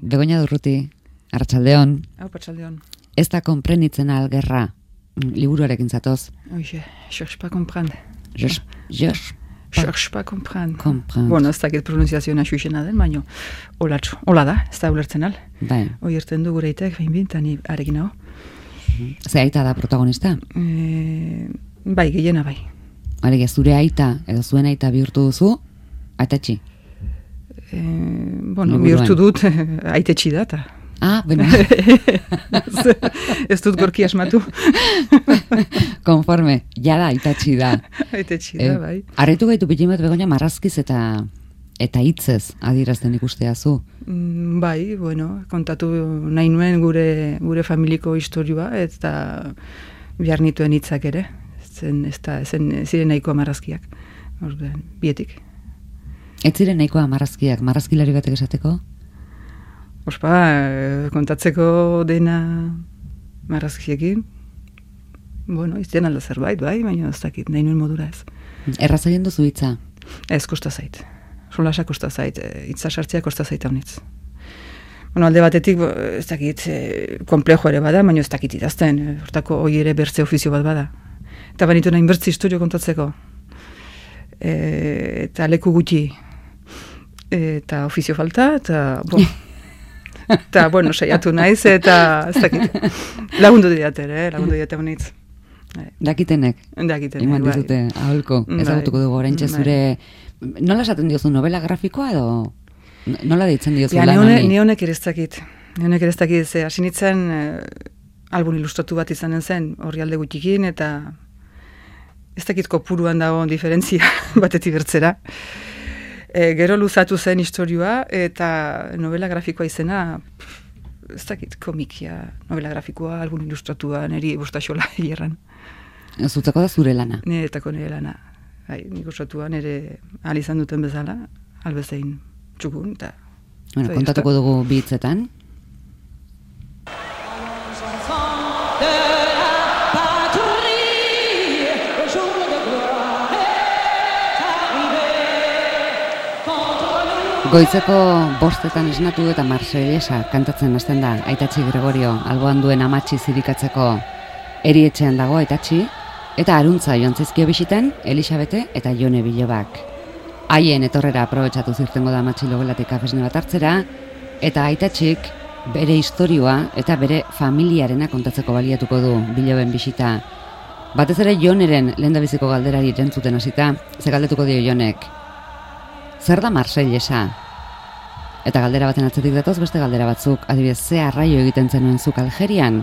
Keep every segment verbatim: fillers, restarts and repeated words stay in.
Begoña Durruti, Arratsaldeon. Hau, Arratsaldeon. Ez da konprenitzen algerra, liburuarekin zatoz. Oie, cherche pas comprendre. Cherche Cherche pas comprendre. comprendre. Bueno, ez dakit pronunziazioa xuxena den, baino, olatxo, hola da, ez da ulertzen al. Bai. Hoi erten du gure itek, behin bintan, ni arekin hau. Ze aita da protagonista? E, bai, gehiena bai. Alegia, zure aita, edo zuen aita bihurtu duzu, aitatxi. E, bueno, Liburuan. bihurtu dut, aitetxi da, eta... Ah, bueno. Ez dut gorki asmatu. Konforme, jada aitatxi da. Aitetxi da, bai. Arretu gaitu pitin bat Begoña marrazkiz eta eta hitzez adierazten ikustea zu. Mm, bai, bueno, kontatu nahi nuen gure, gure familiko historioa, eta behar nituen hitzak ere. Zen, ez da, zen, ziren nahikoa marrazkiak. Orduan, bietik. Ez ziren nahikoa marrazkiak, marrazkilari batek esateko? Ospa, eh, kontatzeko dena marrazkiekin, bueno, izten alda zerbait, bai, baina ez dakit, nahi nuen modura ez. Erraz egin duzu hitza? Ez, kosta zait. Solasa kosta zait, hitza sartzea kosta zait haunitz. Bueno, alde batetik, bo, ez dakit, e, komplejo ere bada, baina ez dakit idazten, e, hortako hoi ere bertze ofizio bat bada. Eta banitu nahin bertze historio kontatzeko. E, eta leku gutxi. E, eta ofizio falta, eta, bo, eta, bueno, saiatu naiz, eta ez dakit. Lagundu diatere, eh? Lagundu diate honitz. Dakitenek? Dakitenek, Iman bai. dizute, aholko, Bai. ezagutuko dugu oraintxe Bai. zure... Nola esaten diozu, novela grafikoa edo... Nola deitzen diozu Ja, lan ni honi? ni honek ere ez dakit. Ni honek ere ez dakit, ze hasi nintzen eh, album ilustratu bat izanen zen, horri alde gutxikin, eta ez dakit kopuruan dago diferentzia batetik bertzera. E, gero luzatu zen historioa, eta novela grafikoa izena, pff, ez dakit, komikia, novela grafikoa, album ilustratua, niri bostaxola hierran. Zutzeko da zure lana. Niretako nire lana. Bai, nik osatua nire ahal izan duten bezala, albezein txukun, eta... Bueno, Zai, kontatuko dugu bi hitzetan. Goitzeko bostetan esnatu eta Marseillesa kantatzen hasten da Aitatxi Gregorio, alboan duen amatxi zirikatzeko erietxean dago Aitatxi, eta aruntza joan zaizkio bisiten Elisabete eta Jone Bilobak. Haien etorrera aprobetxatu zirtengo da amatxi logelatik kafesne bat hartzera, eta Aitatxik bere historioa eta bere familiarena kontatzeko baliatuko du Biloben bisita. Batez ere Joneren lehendabiziko galderari erantzuten hasita, ze galdetuko dio Jonek. Zer da Marseillesa? Eta galdera baten atzetik datoz beste galdera batzuk, adibidez, ze arraio egiten zenuen zuk Algerian,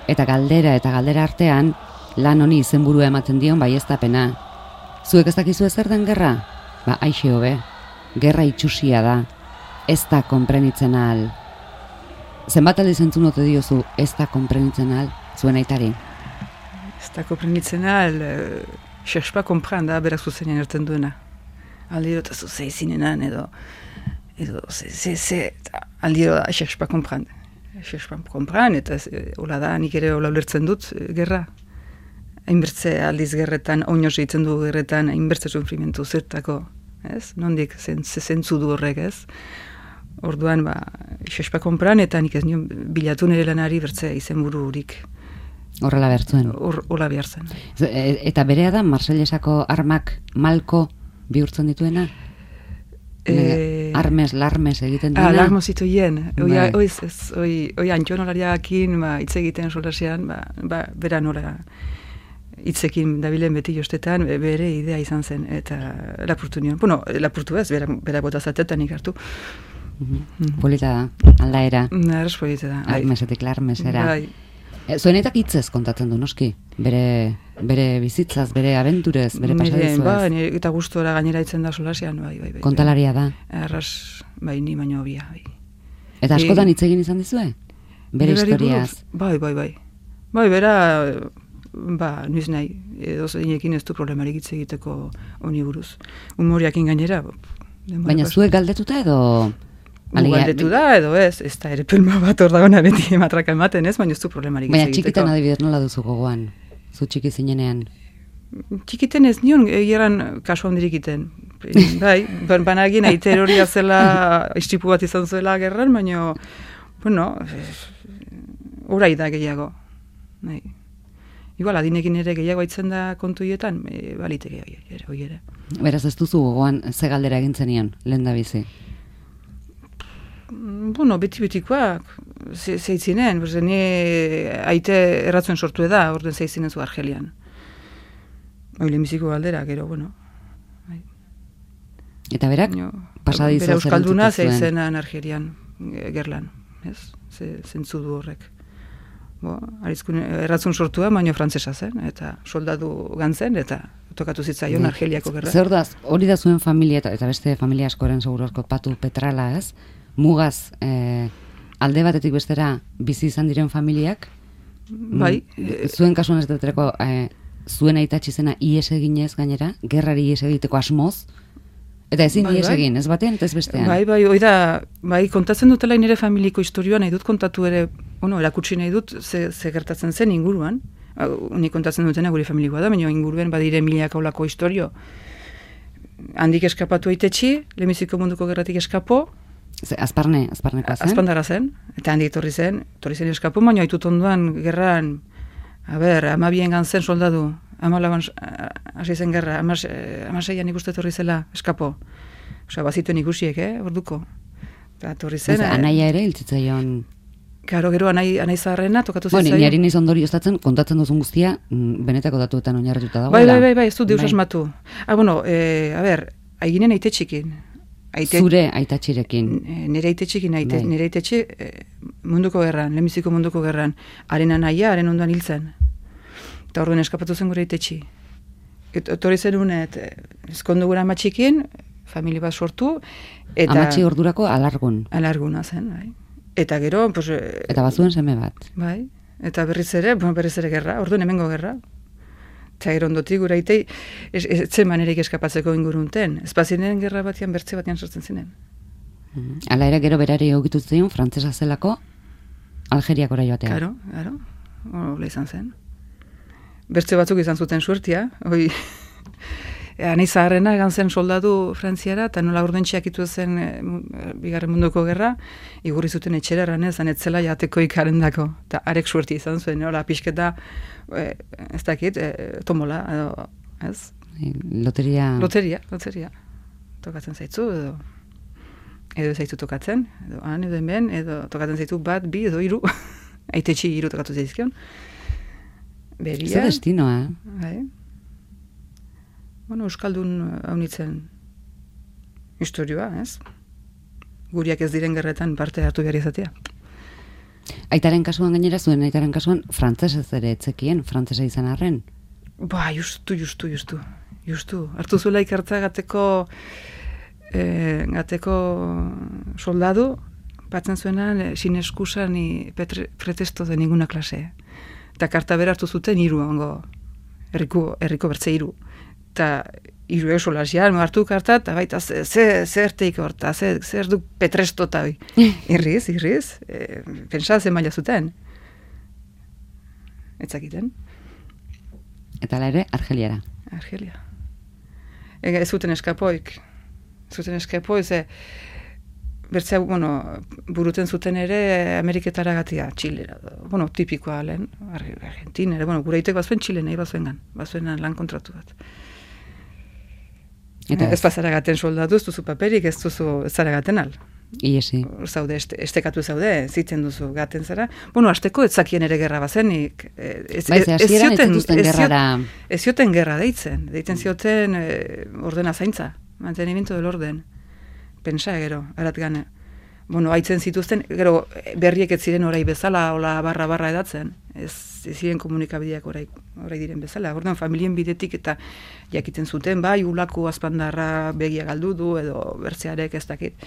eta galdera eta galdera artean lan honi izenburua ematen dion baieztapena. Zuek ez dakizu zer den gerra? Ba, aixe hobe, gerra itxusia da, ez da konprenitzen ahal. Zenbat aldiz entzun ote diozu ez da konprenitzen ahal, zuen aitari? Ez da konprenitzen ahal, uh, cherche pas comprendre da, berak zuzenean erten duena. Aldiro eta zuzei zinenan, edo, edo, ze, ze, ze, aldiro da, cherche pas comprendre. Cherche pas comprendre, eta e, hola da, nik ere hola ulertzen dut, e, gerra. Hainbertze aldiz gerretan, oinoz egiten du gerretan, hainbertze sufrimentu zertako, ez? Nondik, zen, zentzu du horrek, ez? Orduan, ba, cherche pas comprendre, eta nik ez nion bilatu nire lanari bertze izenburu hurik. Horrela bertzuen. Hor, hola behar zen. Eta berea da Marseillesako armak malko bihurtzen dituena? E... Armes, larmes egiten Ah, duena? larmo zituien. Oi, Bai. oi, ez, oi, oi antxonolariakin, ba, hitz egiten solasean, ba, ba, bera nola hitzekin dabilen beti jostetan, be- bere idea izan zen, eta lapurtu nion. Bueno, lapurtu ez, bera, bera botazatetan ikartu. Mhm. Polita da, aldaera. Narras polite da. bai. Armesetik larmesera. Bai. E, Zuenetak hitzez kontatzen du, noski? Bere, bere bizitzaz, bere abenturez, bere Nire, pasadizuez. ba, nire, eta gustora gainera itzen da solasean, bai, bai, bai. Kontalaria da. Arras, bai, ni baino obia, bai. Eta askotan hitz egin izan dizue? Bere Berari historiaz. buruz, Bai, bai, bai. Bai, bera, ba, nuiz nahi, edo zeinekin ez du problemarik hitz egiteko honi buruz. Humoriakin gainera. denbora Baina pas- zuek galdetuta edo... Alegia, Galdetu da, edo ez, ez da ere pelma bat hor dagona beti matraka ematen ez, baina ez du problemarik hitz Baina egiteko. txikitan adibidez nola duzu gogoan? Zu txiki zinenean? txikiten ez nion, egeran kasu handirik iten. Bai, banagin aiter hori azela istripu bat izan zuela gerran, baina, bueno, orai da gehiago. Bai. Igual, adinekin ere gehiago aitzen da kontuietan, e, baliteke ere, hoi ere. Beraz, ez duzu gogoan ze galdera egintzen nion, lehen da bizi? Bueno, beti-betikoak, ze, zeitzinen, ni aite erratzuen sortu da, orden zeitzinen zu Argelian. Hoi lehenbiziko galdera, gero, bueno. Eta berak, pasadizo bera euskalduna zeizenan Argelian, gerlan, ez? Zentzu du horrek. Bo, arizkun erratzun sortua, baino frantzesa zen, eta soldadu gantzen, eta tokatu zitzaion Argeliako gerra. Zer da, hori da zuen familia, eta, eta beste familia askoren segurozko patu petrala, ez? Mugaz, eh, alde batetik bestera bizi izan diren familiak, bai, mm, zuen kasuan ez dutereko, eh, zuen aitatxi zena ies eginez gainera, gerrari ies egiteko asmoz, eta ezin bai, ies bai. egin, ez batean eta ez bestean. Bai, bai, oida, bai, kontatzen dutela nire familiko historioa nahi dut kontatu ere, bueno, erakutsi nahi dut, ze, ze gertatzen zen inguruan, ni kontatzen dutena gure familikoa da, baina inguruen badire milaka olako historio. Handik eskapatu aitetxi, lehenbiziko munduko gerratik eskapo, Ze, azparne, azparnekoa zen? Azpandara zen, eta handik etorri zen, etorri zen eskapo, baina haitut onduan gerran, a ber, amabien gantzen soldadu, amalaban hasi zen gerra, amaseian ikuste etorri zela eskapo. Osa, bazituen ikusiek, eh, orduko. Eta etorri zen... Ez, anaia ere hiltzitzaion... Karo, gero, anai, anai zaharrena tokatu zitzaion. Bueno, niari niz ondori ostatzen, kontatzen duzun guztia, benetako datuetan oinarrituta dago. Bai, bai, bai, bai, ez du deus asmatu. Ah, bueno, eh, a ber, aiginen aite txikin. Aite, Zure aitatxirekin. Nire aite txikin, aite, bai. Nire aite txi, eh, munduko gerran, lehenbiziko munduko gerran. Haren anaia, haren ondoan hiltzen. Eta orduan eskapatu zen gure aite txi. Etorri zen unet, eskondu gura amatxikin, familia bat sortu. Eta, Amatxi ordurako alargun. Alarguna zen, bai. Eta gero, pues, eta bazuen seme bat. Bai, eta berriz ere, bueno, berriz ere gerra, orduan hemengo gerra. Eta gero ondotik gura itei, etzen manerik eskapatzeko ingurunten. Espazinen gerra batean, bertze batean sortzen zinen. Mm. Hala ere gero berari egokitu zion, frantzesa zelako, Algeriakora joatea. Karo, karo, hola izan zen. Bertze batzuk izan zuten suertia, hoi... Anai zaharrena egan zen soldadu frantziara, eta nola urdentxeak itu zen e, bigarren munduko gerra, igurri zuten etxera eranez, anetzela jateko ikarendako. Eta arek suerti izan zuen, nola pixketa, e, ez dakit, e, tomola, edo, ez? Loteria... Loteria, loteria. Tokatzen zaitzu, edo... Edo zaitzu tokatzen, edo han, edo hemen, edo tokatzen zaitzu bat, bi, edo hiru. Aitetxi hiru tokatu zaizkion. Beria... Ez da destinoa, eh? Bai. Bueno, euskaldun haunitzen historioa, ez? Guriak ez diren gerretan parte hartu behar izatea. Aitaren kasuan gainera, zuen aitaren kasuan, frantzesez ere etzekien, frantzesa izan arren? Ba, justu, justu, justu. Justu. Hartu zuela ikartza gateko, eh, gateko soldadu, batzen zuenan, eh, sin excusa ni petre, pretesto de ninguna klase. Eta karta bera hartu zuten hiru ongo, herriko, herriko bertze hiru. Eta hiru esolasian, hartu karta, eta baita zer teik horta, zer du petresto eta hoi. Irriz, irriz, e, pentsa zen maila zuten. Etzakiten. Eta ala ere, Argeliara. Argelia. Ez zuten eskapoik. Zuten eskapoik, ze bertzea, bueno, buruten zuten ere Ameriketara gatia, Txilera. Bueno, tipikoa lehen, Argentinera, bueno, gure itek bazuen Txile nahi bazuengan, bazuenan lan kontratu bat. Eta ez bazaragaten soldatu, ez duzu paperik, ez duzu zaragaten al. Iesi. Zaude, este, estekatu zaude, zitzen duzu gaten zara. Bueno, azteko ez zakien ere gerra bazenik. Ez, Baiz, ez zioten, gerrara... ez zioten gerra deitzen. Deitzen zioten eh, ordena zaintza. Mantenimiento del orden. Pensa, gero, arat gane. Bueno, haitzen zituzten, gero berriek ez ziren orai bezala, ola barra-barra edatzen. Ez, ez ziren komunikabideak orai, orai diren bezala. Orduan, familien bidetik eta jakiten zuten, bai, ulako azpandarra begia galdu du, edo bertzearek ez dakit.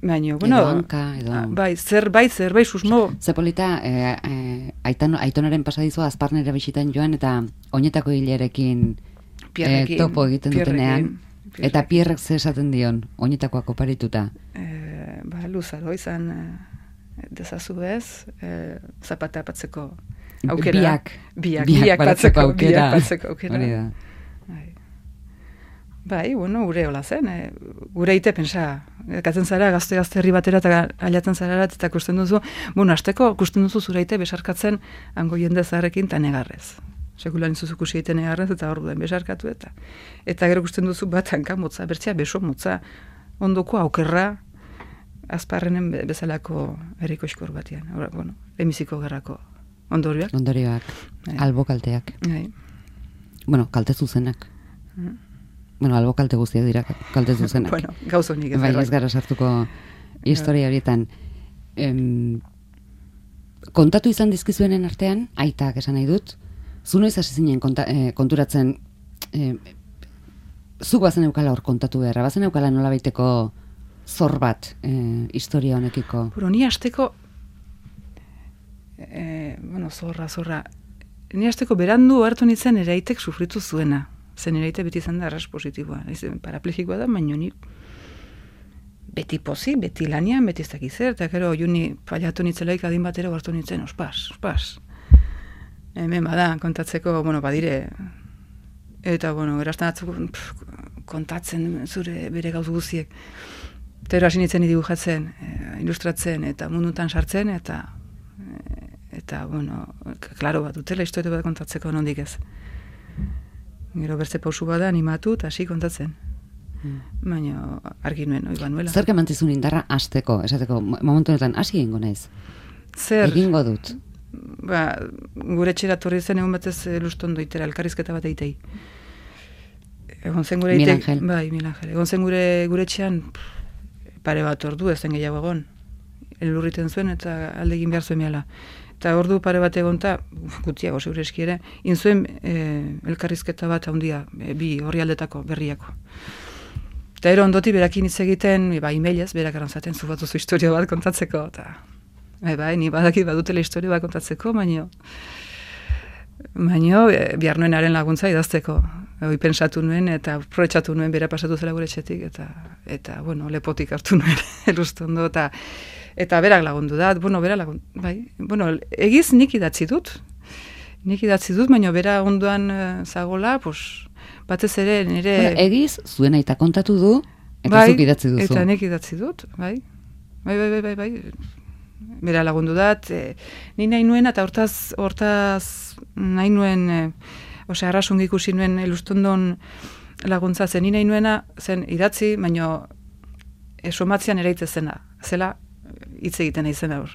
Baina, bueno... Edo hanka, edo... Bai, zerbait, zerbait, susmo... Zepolita, e, e, aitan, aitonaren pasadizua azparnera bisitan joan, eta oinetako hilerekin e, topo egiten dutenean. Eta Pierrek ze esaten dion, oinetakoak oparituta? E, ba, luzaro izan e, dezazu ez, e, zapata apatzeko aukera. Biak. Biak, Biak biak baratzeko batzeko aukera. Biak batzeko aukera. Hori da. Bai. Bai, bueno, gure hola zen, eh? Gure ite pensa, katzen zara, gazte-gazte herri batera eta ailatzen zara eta kusten duzu, bueno, asteko kusten duzu zure ite besarkatzen hango jende zaharrekin eta negarrez. Sekulan izuzu kusi egiten negarrez eta hor duen besarkatu eta. Eta gero kusten duzu bat hanka motza, bertzea beso motza, ondoko aukerra, azparrenen be- bezalako herriko iskor batean. Ora, bueno, emiziko gerrako ondorioak. Ondorioak, Bai. albo kalteak. Bai. Bueno, kalte zuzenak. Mm. Bueno, albo kalte guztiak dira kalte zuzenak. Bueno, gauz honik ez. Bai, bai. ez gara sartuko historia horietan. Em, kontatu izan dizkizuenen artean, aitak esan nahi dut, zu noiz hasi zinen konta, eh, konturatzen, eh, zuk bazen eukala hor kontatu beharra, bazen eukala nolabaiteko zor bat eh, historia honekiko. Pero ni asteko, eh, bueno, zorra, zorra, ni asteko berandu hartu nintzen ere aitek sufritu zuena. Zen ere aite beti izan da arras positiboa. Paraplegikoa da, baina ni beti pozi, beti lanian, beti ez dakiz zer, eta gero juni paliatu nitzelaik adin batera hartu nintzen, ospas, ospas. Hemen bada, kontatzeko, bueno, badire, eta, bueno, erazten atzuk kontatzen zure bere gauz guziek. Eta hasi nintzen dibujatzen, e, ilustratzen, eta mundutan sartzen, eta, e, eta, bueno, klaro bat dutela, historia bat kontatzeko nondik ez. Gero bertze pausu bada animatu eta hasi kontatzen. Hmm. Baina argi nuen, oi banuela. Zer kemantzizun indarra hasteko, esateko, momentu honetan hasi egingo naiz. Zer? Egingo dut. Ba, gure txera torri zen egun batez lustondo itera, elkarrizketa bat eitei. Egon zen gure Mil eitek- Angel. Bai, Mil Angel. Egon zen gure, gure txean pare bat ordu, ez zen gehiago egon. Elurriten zuen eta alde egin behar zuen miala. Eta ordu pare bat egonta, gutiago zeure eski ere, inzuen e, elkarrizketa bat handia, e, bi horri aldetako berriako. Eta ero ondoti berakin hitz egiten, e, ba, emailez, berak arantzaten zu bat duzu historia bat kontatzeko, eta bai, bai, ni badaki badutela historia bat kontatzeko, baino, baino, e, bihar nuen haren laguntza idazteko. Hoi pensatu nuen, eta aprobetxatu nuen, bera pasatu zela gure etxetik, eta, eta bueno, lepotik hartu nuen, erustondo, eta eta berak lagundu da, bueno, bera lagundu, bai, bueno, egiz nik idatzi dut, nik idatzi dut, baina bera onduan uh, zagola, pues, batez ere nire... Bueno, egiz, zuen aita kontatu du, eta bai, zuk idatzi duzu. Eta nik idatzi dut, bai, bai, bai, bai, bai, bai. Bera lagundu dat, e, ni nahi nuen, eta hortaz, hortaz nahi nuen, e, osea, arrasungi ikusi nuen elustondon laguntza zen, ni nahi nuena zen idatzi, baina e, somatzean ere zena, zela hitz egiten nahi zen aur.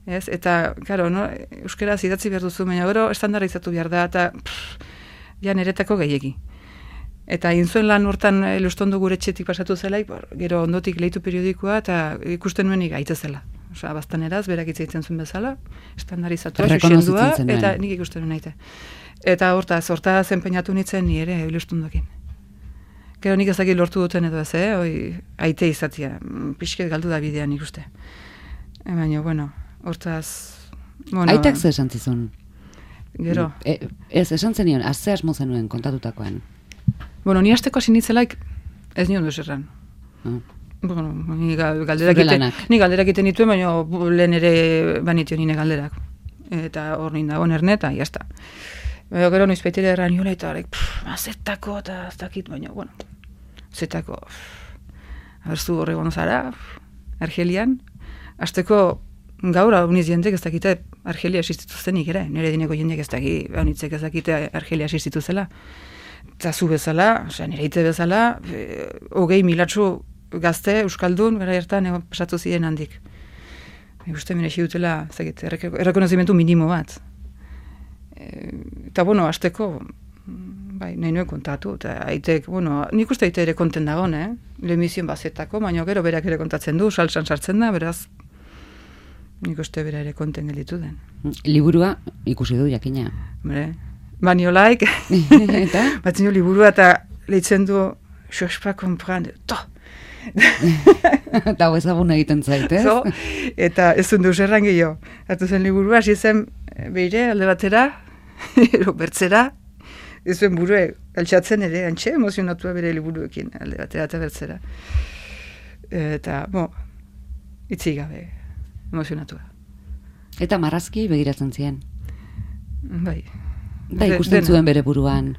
Ez? Eta, karo, no, euskeraz idatzi behar duzu, baina gero estandarizatu behar da, eta pff, ja niretako gehiegi. Eta inzuen lan hortan elustondo gure etxetik pasatu zelaik, gero ondotik leitu periodikoa, eta ikusten nuen gaite zela. Osa, baztaneraz, berak hitz egiten zuen bezala, estandarizatua, xuxendua, eta nik ikusten nuen naite. Eta hortaz, hortaz enpeinatu nintzen ni ere ilustondokin. Gero nik ezakit lortu duten edo ez, eh? Oi, aite izatia, pixket galdu da bidean ikuste. E, baina, bueno, hortaz... Bueno, Aitak ze esan zizun? Gero. E, ez, esan zenion, azze asmo zenuen kontatutakoan. Bueno, ni hasteko hasi nitzelaik ez nion duz erran. Ah. Bueno, ni galderak egiten, ni galderak egiten dituen, baina lehen ere banitio nire galderak. Eta hor ninda, oner eta jazta. Baina gero noiz baitera erran niola eta horrek, zetako eta ez dakit, baina, bueno, zetako, abertzu horregon zara, Argelian, hasteko gaur hauniz jentek ez dakite Argelia existitu zenik ere, nire dineko jendek ez dakit, haunitzek ez dakite Argelia existitu zela. Eta zu bezala, osea, nire ite bezala, e, hogei milatxu gazte, euskaldun, gara hartan, egon pasatu ziren handik. E, uste mire dutela, ezagit, errekonozimentu minimo bat. E, eta, bueno, hasteko, bai, nahi nuen kontatu, eta aitek, bueno, nik uste aite ere konten dagoen, eh? Lehemizion bazetako, baina gero berak ere kontatzen du, salsan sartzen da, beraz, nik uste bera ere konten gelitu den. Liburua ikusi du, jakina. Hombre, baniolaik, eta? batzen jo liburua eta lehitzen du, cherche pas comprendre, to! Eta hau ezagun egiten zait, ez? So, eta ez duen duz erran gehiago. Hartu zen liburua, hasi zen beire, alde batera, ero bertzera, ez zuen burue, altxatzen ere, antxe emozionatua bere liburuekin, alde batera eta bertzera. Eta, bo, itzi gabe, emozionatua. Eta marrazki begiratzen ziren. Bai. Da, ikusten zuen bere buruan.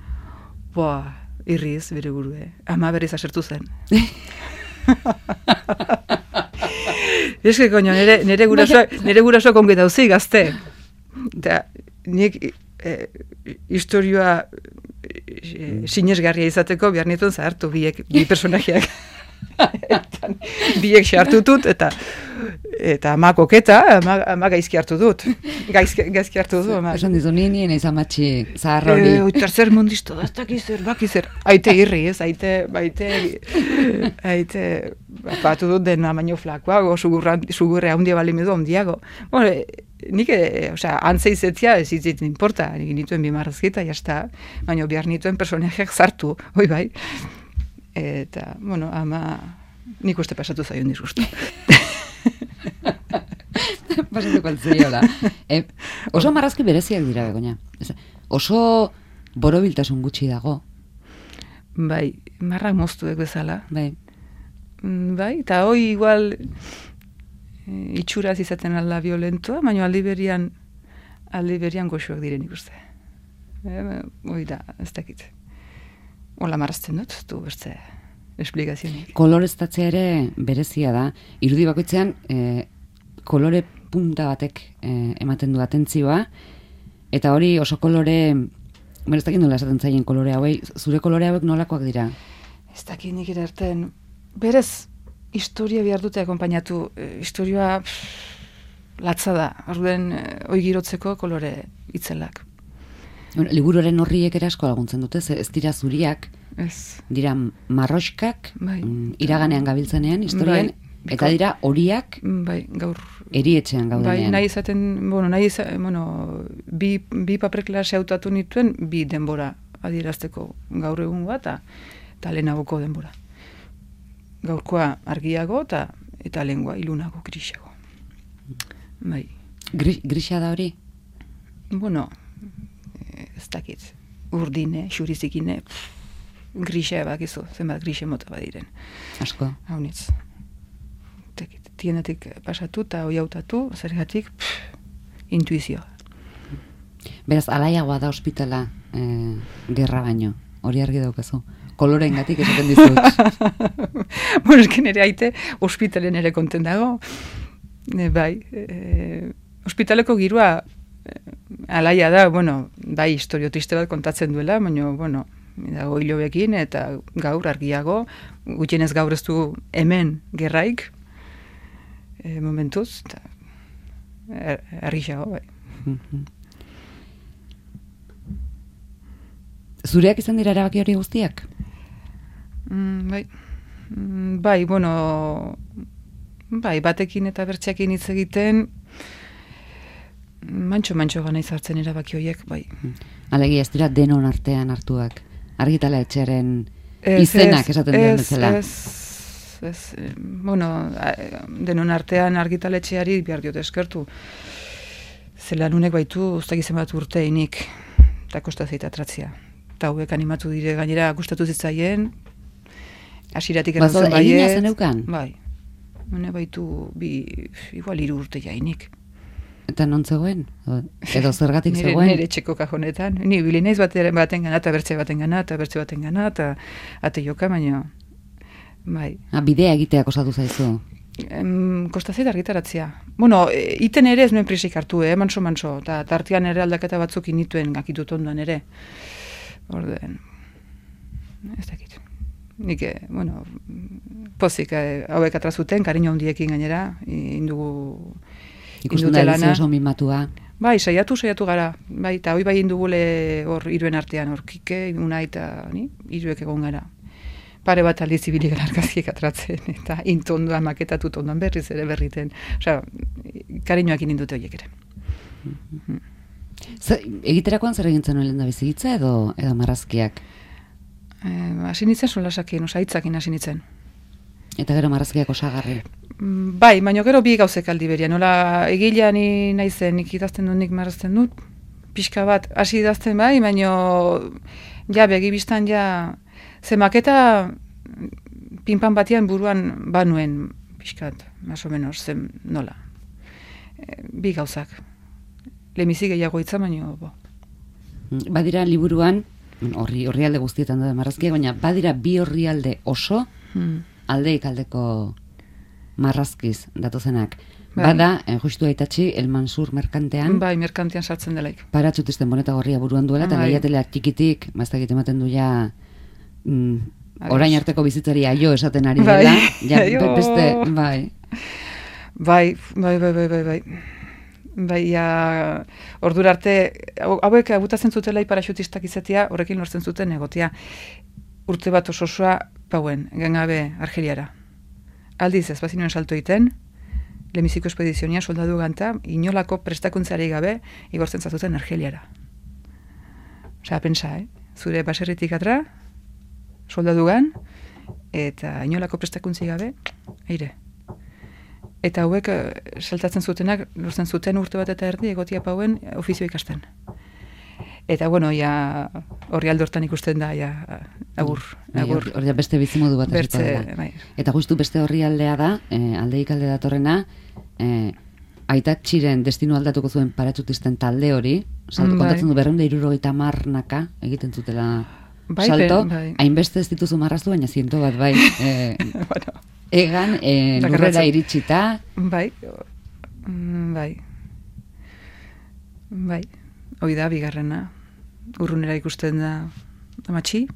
Boa, irriz bere burue. Ama berriz asertu zen. Eske, koño, nere, nere gurasoak, nere gurasoak onge dauzi gazte. Da, nik eh, historioa eh, sinesgarria izateko behar nituen zahartu biek, bi personajeak. Biek xartu dut, eta eta ama koketa, ama, ama gaizki hartu dut. Gaizki, gaizki hartu dut. Esan dizu, ni nien izan matxi zaharra hori. E, tercer mundisto, daztak izer, bak izer. Aite irri, ez, aite, baite, aite, batu dut dena baino flakoa, go, sugurre handia bali medu handiago. Bueno, nik, e, osea, antze izetzia ez itzit importa, nik nituen bimarrazkita, jazta, baina behar nituen personajeak zartu, hoi bai. Eta, bueno, ama, nik uste pasatu zaion disgustu. Pasatuko altzeiola. E, oso marrazki bereziak dira, Begoña. Oso borobiltasun gutxi dago. Bai, marrak moztuek bezala. Bai. Bai, eta hoi igual itxuraz izaten alda violentoa, baina aldi berian, aldi berian goxoak diren ikuste. E, hoi da, ez dakit. Ola marrazten dut, du bertze esplikazionik. Koloreztatzea ere berezia da. Irudi bakoitzean e, kolore punta batek e, ematen du atentzioa, eta hori oso kolore, bueno, ez dakit nola esaten zaien kolore hauei, zure kolore hauek nolakoak dira? Ez dakit nik ere erten, berez historia behar dute akompainatu, e, historia pff, latza da, orduen e, oi girotzeko kolore itzelak. Bueno, liburuaren horriek ere asko laguntzen dute, ez dira zuriak, ez. Dira marroskak, Bai. mm, iraganean gabiltzenean, historian, bai. Eta dira horiak bai, gaur erietxean gaudenean. Bai, nahi izaten, bueno, nahi izaten, bueno, bi, bi paper klase hautatu nituen, bi denbora adierazteko gaur egun bat, eta lehenagoko denbora. Gaurkoa argiago, eta eta lehengoa ilunago, grisago. Bai. Gris, grisa da hori? Bueno, ez dakit, urdine, xurizikine, grisa bakizu, zenbat grisa mota badiren. Asko. Haunitz. Tienetik pasatu eta hoi hautatu, zergatik, intuizioa. Beraz, alaiagoa da ospitala e, gerra baino, hori argi daukazu. Koloreen gatik esaten dizut. Bueno, esken ere aite, ospitalen ere konten dago. E, bai, e, ospitaleko girua e, alaia da, bueno, bai, historio triste bat kontatzen duela, baina, bueno, dago hilobekin eta gaur argiago, gutxienez gaur ez du hemen gerraik, e, momentuz, eta er, errixago, bai. Zureak izan dira erabaki hori guztiak? Mm, bai, mm, bai, bueno, bai, batekin eta bertxekin hitz egiten, mantxo-mantxo gana izartzen erabaki horiek, bai. Alegia ez dira denon artean hartuak, argitala etxearen izenak esaten duen bezala. Ez, ez, ez, bueno, denon artean argitaletxeari behar diot eskertu. Zelan unek baitu, ustagizen bat urteinik, eta kostazita atratzia. Eta hauek animatu dire gainera gustatu zitzaien, hasiratik erantzun baiet. Egina zen eukan? Bai. Hune baitu, bi, igual hiru urte jainik. Eta non zegoen? Edo zergatik nire, zegoen? Nire txeko kajonetan. Ni bilineiz baten, baten gana, eta bertze baten gana, eta bertze baten gana, eta ate joka, baina, bai. Ah, bidea egitea kostatu zaizu? Em, kostazit argitaratzea. Bueno, e, iten ere ez nuen prisik hartu, eh, manso-manso, eta tartian ere aldaketa batzuk inituen gakitut ondoan ere. Orden, ez dakit. Nik, bueno, pozik, eh, hauek atrazuten, kariño handiekin gainera, indugu... Ikusten da elizio oso mimatua. Bai, saiatu, saiatu gara. Bai, eta hoi bai indugule hor iruen artean, hor kike, una eta ni, iruek egon gara. Pare bat aldiz ibili gara argazkiek atratzen, eta intondoan maketatut ondoan berriz ere berriten. Osea, kariñoak indute horiek ere. Mm-hmm. Zer, egiterakoan zer egintzen nuen lehen da bizitza edo, edo marrazkiak? Hasi nintzen solasakien, osa hitzakin hasi nintzen. Eta gero marrazkiak osagarri? Bai, baina gero bi gauzek aldi beria. Nola egilea ni naizen, nik idazten dut, nik marrazten dut, pixka bat, hasi idazten bai, baina ja, begibistan ja, ze maketa pinpan batian buruan banuen pixkat, más o menos, zen nola. E, bi gauzak. Lemizi gehiago hitza, baina, bo, Badira liburuan, horri orrialde guztietan da marrazkiak, baina badira bi orrialde oso hmm. aldeik aldeko marrazkiz datozenak. Bai. Bada, eh, justu aitatxi, El Mansur merkantean. Bai, merkantean sartzen delaik. Paratzutisten boneta gorria buruan duela, eta lehiateleak txikitik, maztakit ematen du ja, mm, orain arteko bizitzari aio esaten ari bai. dela. Ja, be, beste, bai. Bai, bai, bai, bai, bai, bai. Bai, ja, ordura arte, hauek abutatzen zutela paraxutistak izatea, horrekin lortzen zuten egotea. Urte bat ososoa, pauen, gengabe Argeliara. Aldiz, ez bazinuen salto egiten, lehenbiziko espedizionia soldadu ganta, inolako prestakuntzari gabe, igortzen zatuten Argeliara. Osa, pensa, eh? Zure baserritik atra, soldadu gan, eta inolako prestakuntzi gabe, eire. Eta hauek saltatzen zutenak, lortzen zuten urte bat eta erdi, egotia pauen ofizio ikasten. Eta, bueno, ja, horri aldortan ikusten da, ja, agur. agur. Hor ja beste bizimodu bat Bertze, bai. Eta justu beste horri aldea da, eh, aldeik alde datorrena, eh, aitatxiren destinu aldatuko zuen paratzutisten talde hori, salto, bai. Kontatzen du berreunda irurogeita marnaka egiten zutela bai, salto, bai. Hainbeste ez dituzu marraztu, baina ziento bat, bai. Eh, bueno. Egan, eh, lurrera iritsita. Bai, bai. Bai, hoi da, bigarrena. Urrunera ikusten da amatxi.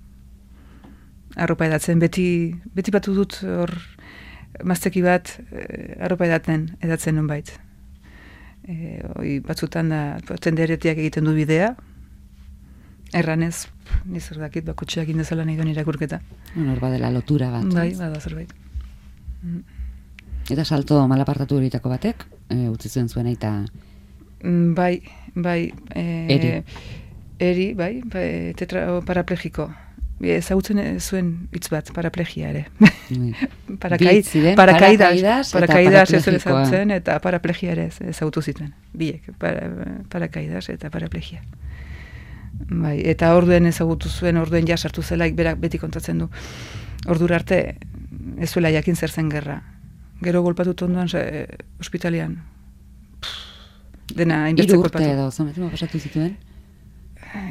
Arropa edatzen, beti, beti batu dut hor mazteki bat eh, arropa edaten, edatzen non bait. Eh, hoi batzutan da, tenderetiak egiten du bidea. Erranez, nizer dakit, bakotxeak indezala nahi duen irakurketa. Hor badela lotura bat. Bai, bada zerbait. Eta salto malapartatu horitako batek, e, utzi zuen zuen eta... Bai, bai... E, eri. Eri, bai, bai tetra, paraplegiko. Ezagutzen zuen hitz bat, paraplegia ere. Parakai, parakaidas, parakaidas ez zuen ezagutzen, eta paraplegia ere ezagutu zituen. Biek, para, parakaidas eta paraplegia. Bai, eta orduen ezagutu zuen, orduen ja sartu zelaik, berak beti kontatzen du. Ordura arte, ez zuela jakin zer zen gerra. Gero golpatut ondoan e, ospitalian. Pff, dena hainbeste golpatu. Hiru urte edo, zometima pasatu zituen?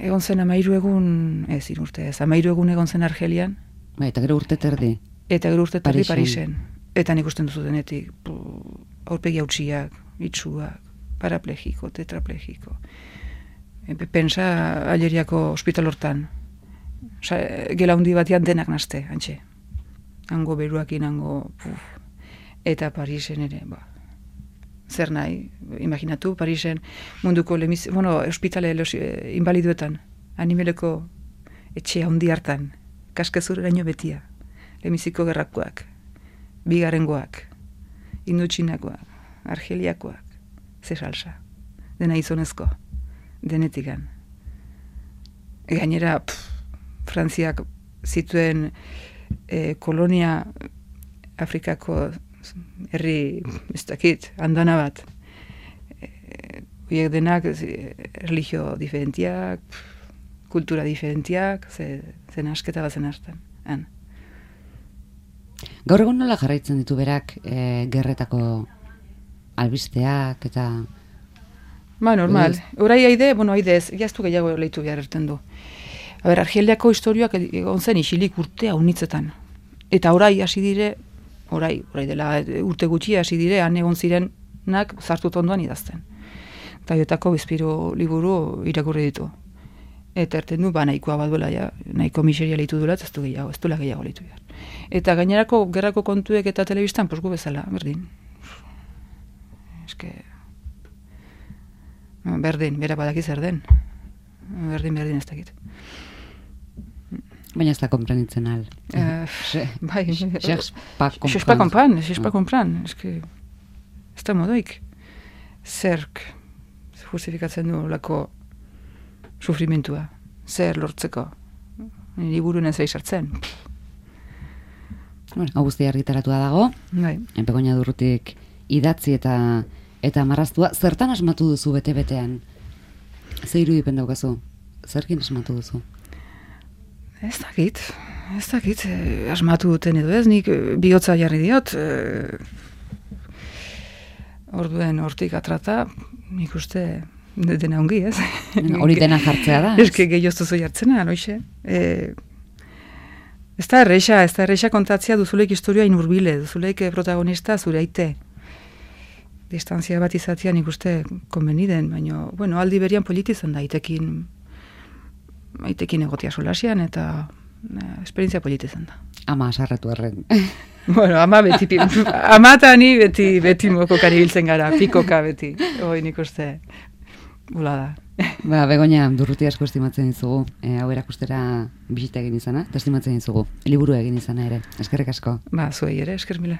Egon zen amairu egun, ez, hiru urte ez, amairu egun egon zen Argelian. Ba, eta gero urte terdi. Eta gero urte terdi Parisen. Eta nik usten duzu denetik, aurpegi hautsiak, itxuak, paraplegiko, tetraplegiko. E, pensa Aleriako ospital hortan. Osa, gela hundi batean denak nazte, antxe. Hango beruakin, hango... Puf. Eta Parisen ere, ba. Zer nahi, imaginatu, Parisen munduko lemiz... Bueno, ospitale los, eh, invaliduetan, animeleko etxe handi hartan, kaskezur eraino betia, lemiziko gerrakoak, bigarengoak, indutxinakoak, argeliakoak, ze salsa, dena izonezko, denetikan. Gainera, pff, Frantziak zituen eh, kolonia Afrikako herri, ez dakit, andana bat. Horiek denak religio diferentiak, kultura diferentiak, ze, zen asketa bat zen hartan. Han. Gaur egun nola jarraitzen ditu berak e, gerretako albisteak eta... Ba, normal. Horai haide, bueno, haide ez, jaztu gehiago lehitu behar erten du. A ber, Argeliako historioak egon zen isilik urtea unitzetan. Eta orai hasi dire, orai, orai dela urte gutxi hasi dire, han egon zirenak zartut ondoan idazten. Eta jotako bizpiru liburu irakurri ditu. Eta erten du, ba, nahikoa bat duela, ja, nahiko miseria lehitu duela, ez du gehiago, ez duela gehiago lehitu behar. Eta gainerako gerrako kontuek eta telebistan, posgu bezala, berdin. Eske... Berdin, bera badaki zer den. Berdin, berdin ez dakit. Baina ez da komprenitzen al. Uh, bai, Xexpa kompran. Xexpa kompran, xexpa kompran. Ez que, ez da modoik. Zerk justifikatzen du lako sufrimentua. Zer lortzeko. Liburuen ez sartzen. Bueno, hau guztia argitaratua dago. Bai. Begoña Durrutik idatzi eta eta marraztua. Zertan asmatu duzu bete-betean? Ze irudipen daukazu? Zerkin asmatu duzu? Ez dakit, ez dakit, eh, asmatu duten edo ez, nik bihotza jarri diot, eh, orduen hortik atrata, nik uste dena ongi, ez? Hori dena jartzea da. Ez que gehioztu zu jartzena, noixe. E, ez da erreixa, ez da erreixa kontatzea duzuleik historioa inurbile, duzuleik protagonista zure aite. Distantzia bat izatea nik uste konbeniden, baina, bueno, aldi berian politizan da, aitekin, aitekin egotia solasian, eta eh, esperientzia politizan da. Ama asarratu erren. Bueno, ama beti, ama eta ni beti, beti mokokan ibiltzen gara, pikoka beti, hoi nik uste, gula da. Ba, Begoña, Durruti asko estimatzen dizugu, e, hau erakustera bisita egin izana, eta estimatzen dizugu, liburu egin izana ere, eskerrik asko. Ba, zuei ere, esker mila.